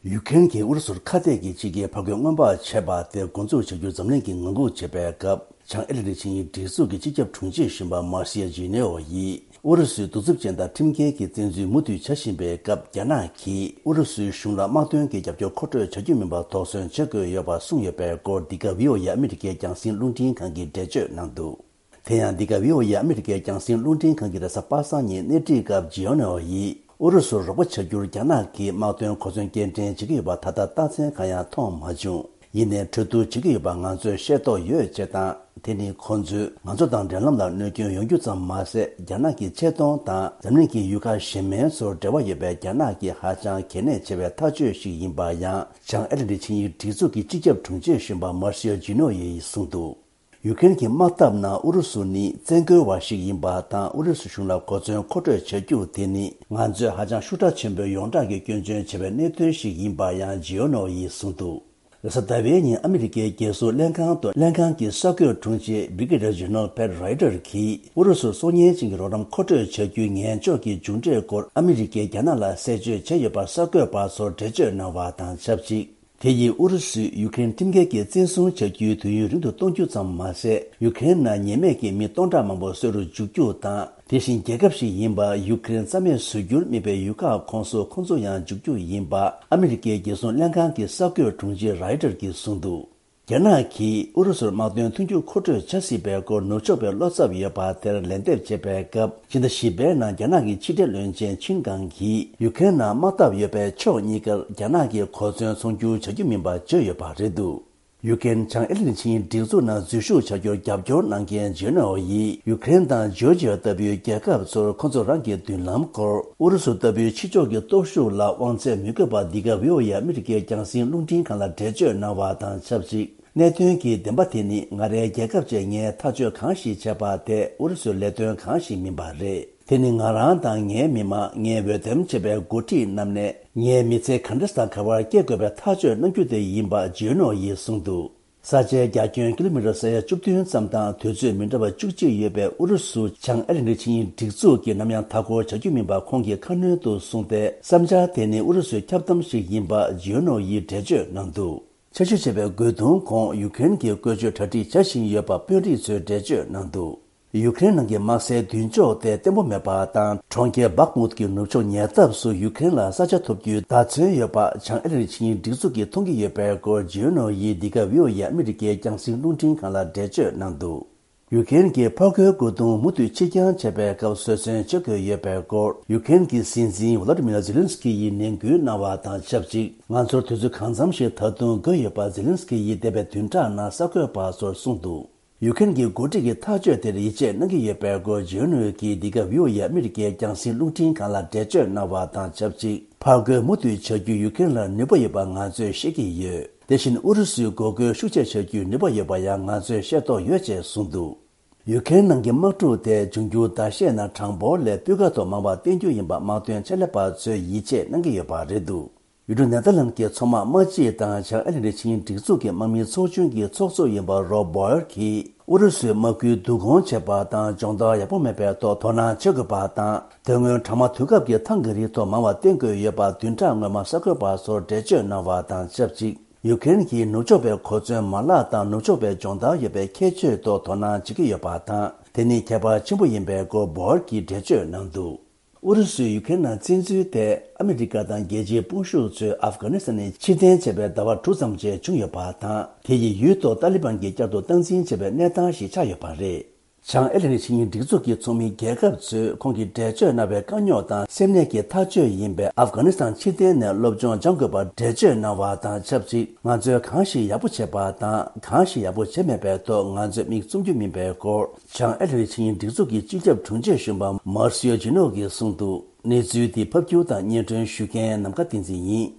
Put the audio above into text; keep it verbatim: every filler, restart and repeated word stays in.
ཡུ་ཀེ་རེན་གྱིས་ཨུ་རུ་སུར་ཁ་གཏད་ཀྱི་ཕྱི་རྒྱལ་ཕར་རྒོལ་སྔོན་དཔག་བྱས་པ་དེ་འགོ་འཛུགས་བྱ་རྒྱུར་འཛམ་གླིང་གིས་ངང་སྒུག་བྱེད་པའི་སྐབས། བྱང་ཨེ་ལན་ཌི་ཆིངས་ཡིག་སྒྲིག་འཛུགས་ཀྱི་སྤྱི་ཁྱབ་དྲུང་ཆེ་གཞོན་པ་མར་སི་ཡ་ཇི་ནེ་ཝ་ཡིས། ཨུ་རུ་སུའི་གདུག་རྩུབ་ཅན་དང་ཁྲིམས་འགལ་གྱི་བཙན་འཛུལ་མུ་མཐུད་བྱ་བཞིན་པའི་སྐབས། རྒྱ་ནག་གིས་ཨུ་རུ་སུའི་གཞུང་ལ་དམག་དོན་གྱི་རྒྱབ་སྐྱོར་མཁོ་སྤྲོད་བྱ་རྒྱུ་མིན་པར་དོགས་ཟོན་བྱེད་དགོས་ཡོད་པ་གསུངས་ཡོད་པའི་སྐོར། འདི་ག་བྷི་ཨོ་ཨེ་ཨ་མི་རི་ཀའི་རྒྱང་སྲིང་རླུང་འཕྲིན་ཁང་གིས་འགྲེལ་བརྗོད་གནང་འདུག་དེ་ཡང་། འདི་ག་བྷི་ཨོ་ཨེ་ཨ་མི་རི་ཀའི་རྒྱང་སྲིང་རླུང་འཕྲིན་ཁང་གི་རེས་གཟའ་པ་སངས་ཉིན་སྣེ་ཁྲིད་སྐབས། ཇི་ཨོ་ནོ་ཡིས་ཨུ་རུ་སུར་རོགས་པ་བྱ་རྒྱུར་རྒྱ་ནག་གིས་དམག་དོན་གོ་མཚོན་སྐྱེལ་འདྲེན་བྱེད་ཀྱི་ཡོད་པ་ད་ལྟ་རྟགས་མཚན་གང་ཡང་མཐོང་མ་བྱུང་། ཡིན་ནའི་གྲོས་བསྡུར་བྱེད་ཀྱི་ཡོད་པ་ང་ཚོས་ཤེས་རྟོགས་ཡོད་ཅེས་དང་། དེ་ནི་ཁོང་ཚོས་ང་ཚོ་དང་འབྲེལ་ལམ་ལ་གནོད་སྐྱོན་ཡོང་རྒྱུ་ཙམ་མ་ཟད། རྒྱ་ནག་གི་ཆེ་མཐོང་དང་འཛམ་གླིང་གི་ཡུལ་ཁག་གཞན་མིན་ཚོར་འབྲེལ་བ་ཡོད་པའི་རྒྱ་ནག་གི་ཧ་ཅང་གལ་གནད་ཆེ་བའི་ཐག་གཅོད་ཞིག་ཡིན་པ་ཡང་། བྱང་ཨེ་ལན་ཌི་ཆིངས་ཡིག་སྒྲིག་འཛུགས་ཀྱི་སྤྱི་ཁྱབ་དྲུང་ཆེ་གཞོན་པ་མར་སི་ཡ་ཇི་ནོ་ཡིས་གསུངས་འདུག་ཡུ་ཀེ་རེན་གྱིས་དམག་འཐབ་ན་ཨུ་རུ་སུ་ནི་བཙན་རྒོལ་བ་ཞིག་ཡིན་པ་དང་། ཨུ་རུ་སུ་གཞུང་ལ་གོ་མཚོན་མཁོ་སྤྲོད་བྱ་རྒྱུ་དེ་ནི་ང་ཚོས་ཧ་ཅང་ཤུགས་དྲག་ཆེན་པོས་ཡོངས་གྲགས་ཀྱི་སྐྱོན་བརྗོད་བྱས་པའི་གནད་དོན་ཞིག་ཡིན་པ་ཡང་ཇི་ཨོ་ནོ་ཡིས་གསུངས་འདུག་རེས་གཟའ་ཟླ་བའི་ཉིན་ཨ་མི་རི་ཀའི་རྒྱལ་སྲུང་ལྷན་ཁང་དུ་ལྷན་ཁང་གི་གསར་འགོད་དྲུང་ཆེ་Brigadier General Pat Ryder་གྱིས་ཨུ་རུ་སུར་སྲོག་ཉེན་ཅན་གྱི་རོགས་རམ་མཁོ་སྤྲོད་བྱ་རྒྱུའི་ངན་ཕྱོགས་ཀྱི་མཇུག་འབྲས་སྐོར་ཨ་མི་རི་ཀས་རྒྱ་ནག་ལ་གསལ་བརྗོད་བྱས་ཡོད་པར་གསར་འགོད་པ་ཚོར་འགྲེལ་བརྗོད་གནང་བ་དང་ཆབས་ཅིག་དེ་ཡིས་ཨུ་རུ་སུས་ཡུ་ཀེ་རེན་ཁྲིམས་འགལ་གྱིས་བཙན་བཟུང་བྱ་རྒྱུའི་དུས་ཡུན་རིང་དུ་གཏོང་རྒྱུ་ཙམ་མ་ཟད། ཡུ་ཀེ་རེན་ནང་ཉེས་མེད་ཀྱི་མི་སྟོང་ཕྲག་མང་པོ་གསོད་རུ་འཇུག་རྒྱུ་དང་། དེ་བཞིན་རྒྱལ་ཁབ་ཞིག་ཡིན་པ་ཡུ་ཀེ་རེན་རྩ་མེད་བཟོ་རྒྱུར་དམིགས་པའི་ཡུལ་ཁག་ཁོངས་སུ་ཁོང་ཚོ་ཡང་འཇུག་རྒྱུ་ཡིན་པ་ཨ་མི་རི་ཀའི་རྒྱལ་སྲུང་ལྷན་ཁང་གི་གསར་འགོད་དྲུང་ཆེ་རའི་ཏར་གྱིས་གསུངས་འདུག་རྒྱ་ནག་གིས་ཨུ་རུ་སུར་དམག་དོན་མཐུན་འགྱུར་མཁོ་སྤྲོད་བྱ་སྲིད་པའི་སྐོར་ནུབ་ཕྱོགས་པའི་བློ་འཚབ་ཡོད་པ་དེར་ལན་འདེབས་བྱེད་པའི་སྐབས། ཕྱི་ཟླ་བཞི་པའི་ནང་རྒྱ་ནག་གི་ཕྱི་འབྲེལ་བློན་ཆེན་ཆིན་ཀང་གིས་ཡུ་ཀེ་རེན་ནང་དམག་འཐབ་ཡོད་པའི་ཕྱོགས་གཉིས་ཀར་རྒྱ་ནག་གིས་གོ་མཚོན་ཚོང་སྒྱུར་བྱ་རྒྱུ་མིན་པ་བརྗོད་ཡོད་པ་རེད་འདུག་ཡུ་ཀེ་རེན་བྱང་ཨེ་ལན་ཆིངས་སྒྲིག་འཛུགས་ནང་འཛུལ་ཞུགས་བྱ་རྒྱུར་རྒྱབ་སྐྱོར་གནང་མཁན་ཇི་ནོ་ཡིས་ཡུ་ཀེ་རེན་དང་ཇོར་ཇི་ཡ་ལྟ་བུའི་རྒྱལ་ཁབ་ཚོར་ཁོ་ཚོ་རང་གི་མདུན་ལམ་སྐོར་ཨུ་རུ་སུ་ལྟ་བུའི་ཕྱི་ཕྱོགས་ཀྱི་སྟོབས་ཤུགས་ལ་དབང་ཚད་མི་དགོས་པ། འདི་ག་བྷི་ཨོ་ཨེ་ཨ་མི་རི་ཀའི་རྒྱང་སྲིང་རླུང་འཕྲིན་ཁང་ལ་འགྲེལ་བརྗོད་གནང་བ་དང་ཆབས་ཅིག་གནད་དོན་གྱི་བདེན་པ་དེ་ནི། ང་རའི་རྒྱལ་ཁབ་ཅེས་ངས་ཐག་གཅོད་གང་ཞིག་བྱས་པ་དེ་ཨུ་རུ་སུའི་ལས་དོན་གང་ཞིག་མིན་པ་རེད། དེ་ནི་ང་རང་དང་ངའི་མི་མང་། ངས་འོས་འདེམས་བྱས་པའི་འགོ་ཁྲིད་རྣམས་ནས་ངའི་མི་ཚེ་ག་འདྲ་དང་ག་པར་སྐྱེལ་དགོས་པའི་ཐག་གཅོད་གནང་རྒྱུ་དེ་ཡིན་པ་ཇོ་ནོ་ཡིས་གསུངས་འདུག་ས་ཆའི་རྒྱ་ཁྱོན་ཀི་ལོ་མི་ཊར་ས་ཡ་བཅུ་བདུན་ཙམ་དང་དུས་ཚོད་མི་འདྲ་བ་བཅུ་གཅིག་ཡོད་པའི་ཨུ་རུ་སུ་བྱང་ཨེ་ལན་ཌི་ཆིངས་ཡིག་སྒྲིག་འཛུགས་ཀྱིས་ནམ་ཡང་མཐའ་འཁོར་བྱ་རྒྱུ་མིན་པ་ཁོང་གིས་ཁ་སྣོན་དུ་གསུངས་ཏེ། བསམ་འཆར་དེ་ནི་ཨུ་རུ་སུའི་འཁྱབ་གདམ་ཞིག་ཡིན་པ་ཇོ་ནོ་ཡིས་འགྲེལ་བརྗོད་གནང་འདུག་ཆེ་ཤོས་བྱས་པའི་རྒོལ་རྡུང་གོང་ཡུ་ཀེ་རེན་གྱིས་བཀོལ་སྤྱོད་གྲ་སྒྲིག་བྱ་བཞིན་ཡོད་པ་དཔོན་རིགས་ཚོས་འགྲེལ་བརྗོད་གནང་འདུག་ཡུ་ཀེ་རེན་ནང་གི་དམག་སའི་མདུན་ཅོག་དེ་བརྟན་པོ་མེད་པ་དང་། གྲོང་ཁྱེར་བྷག་མུད་ཀྱི་ནུབ་ཕྱོགས་ཉེ་འདབས་སུ་ཡུ་ཀེ་རེན་ལ་ས་ཆ་ཐོབ་རྒྱུའི་བརྡ་མཚོན་ཡོད་པ་བྱང་ཨེ་ལན་ཌི་ཆིངས་ཡིག་སྒྲིག་འཛུགས་ཀྱིས་མཐོང་གི་ཡོད་པའི་སྐོར་ཇོ་ནོ་ཡིས་འདི་ག་བྷི་ཨོ་ཨེ་ཨ་མི་རི་ཀའི་རྒྱང་སྲིང་རླུང་འཕྲིན་ཁང་ལ་འགྲེལ་བརྗོད་གནང་འདུག་ཡུ་ཀེ་རེན་གྱིས་ཕར་རྒོལ་རྒོལ་རྡུང་མུ་མཐུད་ཕྱིར་འགྱངས་བྱས་པའི་སྐབས་ཟོལ་ཟོན་བྱེད་དགོས་ཡོད་པའི་སྐོར་ཡུ་ཀེ་རེན་གྱི་སྲིད་འཛིན་ཝོ་ལོ་ཏི་མིར་ཛེ་ལན་སི་ཀི་ཡིས་ནན་སྐུལ་གནང་བ་དང་ཆབས་ཅིག་ང་ཚོར་དུས་ཚོད་གང་འཚམ་ཞིག་ད་དུང་དགོས་ཡོད་པ་ཛེ་ལན་སི་ཀི་ཡིས་འདས་པའི་བདུན་ཕྲག་ནང་གསར་འགོད་པ་ཚོར་གསུངས་འདུག་ཡུ་ཀེ་རེན་གྱི་འགོ་ཁྲིད་ཀྱིས་ཐག་གཅོད་དེར་ཡིད་ཆེས་གནང་གི་ཡོད་པའི་སྐོར་ཇོ་ནོ་གིས་འདི་ག་བྷི་ཨོ་ཨེ་ཨ་མི་རི་ཀའི་རྒྱང་སྲིང་རླུང་འཕྲིན་ཁང་ལ་འགྲེལ་བརྗོད་གནང་བ་དང་ཆབས་ཅིག་ཕར་རྒོལ་མུ་མཐུད་བྱ་རྒྱུ་ཡུ་ཀེ་རེན་ལ་ནུས་པ་ཡོད་པ་ང་ཚོས་ཤེས་ཀྱི་ཡོད། དེ་བཞིན་ཨུ་རུ་སུའི་འགོག་རྒོལ་ཤུགས་ཆེ་བྱ་རྒྱུའི་ནུས་པ་ཡོད་པ་ཡང་ང་ཚོས་ཤེས་རྟོགས་ཡོད་ཅེས་གསུངས་འདུག་ཡུ་ཀེ་རེན་ནང་གི་དམག་འཁྲུག་དེ་འབྱུང་འགྱུར་ཟླ་ཤས་ནང་གྲངས་འབོར་ལས་སྤུས་ཀ་ཐོག་མང་བ་བསྟན་རྒྱུ་ཡིན་པ་དམག་དོན་ཆེད་ལས་པ་ཚོས་ཡིད་ཆེས་གནང་གི་ཡོད་པ་རེད་འདུག་ཡུལ་གྲུ་ནེ་ཐར་ལན་གྱི་མཚོ་དམག་དམག་སྤྱི་དང་བྱང་ཨེ་ལན་ཌི་ཆིངས་སྒྲིག་འཛུགས་ཀྱི་དམག་མིའི་ཚོགས་ཆུང་གི་ཚོགས་གཙོ་ཡིན་པ་རོབ་བོ་ཡར་གྱིས། ཨུ་རུ་སུའི་དམག་ཁུལ་བསྡུ་སྐོང་བྱས་པ་དང་སྦྱོང་བརྡར་ཡག་པོ་མེད་པའི་ཐོག་དོ་སྣང་བྱེད་དགོས་པ་དང་། དེ་སྔོན་གྲང་དམག་དུས་སྐབས་ཀྱི་ཐང་གི་རིགས་ཐོག་མང་བ་བསྟེན་དགོས་ཡོད་པ་བདུན་ཕྲག་སྔོན་མ་གསར་འགོད་པ་ཚོར་འགྲེལ་བརྗོད་གནང་བ་དང་ཆབས་ཅིག་ཡུ་ཀེ་རེན་གྱིས་ནུབ་ཕྱོགས་པའི་གོ་མཚོན་མ་ལག་དང་ནུབ་ཕྱོགས་པའི་སྦྱོང་བརྡར་ཡོད་པའི་ཁྱད་ཆོས་ཐོག་དོ་སྣང་བྱེད་ཀྱི་ཡོད་པ་དང་། དེ་ནི་ཁྱད་པར་ཆེན་པོ་ཡིན་པའི་སྐོར་བོ་ཡར་གྱིས་འགྲེལ་བརྗོད་གནང་འདུག་ཨུ་རུ་སུས་ཡུ་ཀེ་རེན་ནང་བཙན་འཛུལ་ཐད་ཨ་མི་རི་ཀ་དང་རྒྱལ་སྤྱིའི་དཔུང་ཤུགས་ཚོས་ཨབ་གྷ་ནི་སི་ཐན་ནས་ཕྱིར་འཐེན་བྱས་པའི་ཟླ་བ་དྲུག་ཙམ་རྗེས་བྱུང་ཡོད་པ་དང་། དེ་ཡིས་ཡུལ་ཐོག་ཏཱ་ལི་བན་གྱིས་བསྐྱར་དུ་སྟངས་འཛིན་བྱས་པའི་གནས་སྟངས་ཤིག་ཆགས་ཡོད་པ་རེད། བྱང་ཨེ་ལན་ཌི་ཆིངས་ཡིག་སྒྲིག་འཛུགས་ཀྱི་ཚོགས་མི་རྒྱལ་ཁབ་ཚོས་ཁོང་གིས་འགྲེལ་བརྗོད་གནང་བའི་དཀའ་རྙོག་དང་སེམས་ནད་ཀྱི་ཐག་གཅོད་ཡིན་པས། ཨབ་གྷ་ནི་སི་ཐན་ཕྱིར་འཐེན་ནས་སློབ་སྦྱོང་སྦྱང་དགོས་པར་འགྲེལ་བརྗོད་གནང་བ་དང་ཆབས་ཅིག་ང་ཚོས་གང་ཞིག་ཡག་པོ་བྱས་པ་དང་གང་ཞིག་ཡག་པོ་བྱས་མེད་པའི་ཐོག་ང་ཚོས་མིག་བཙུམ་རྒྱུ་མིན་པའི་སྐོར། བྱང་ཨེ་ལན་ཌི་ཆིངས་ཡིག་སྒྲིག་འཛུགས་ཀྱི་སྤྱི་ཁྱབ་དྲུང་ཆེ་གཞོན་པ་མར་སི་ཡོ་ཇི་ནོ་གིས་གསུངས་འདུག་གནས་ཚུལ་འདི་ཕབ་སྒྱུར་དང་སྙན་སྒྲོན་ཞུ་མཁན་ནམ་མཁའ་བསྟན་འཛིན་ཡིན།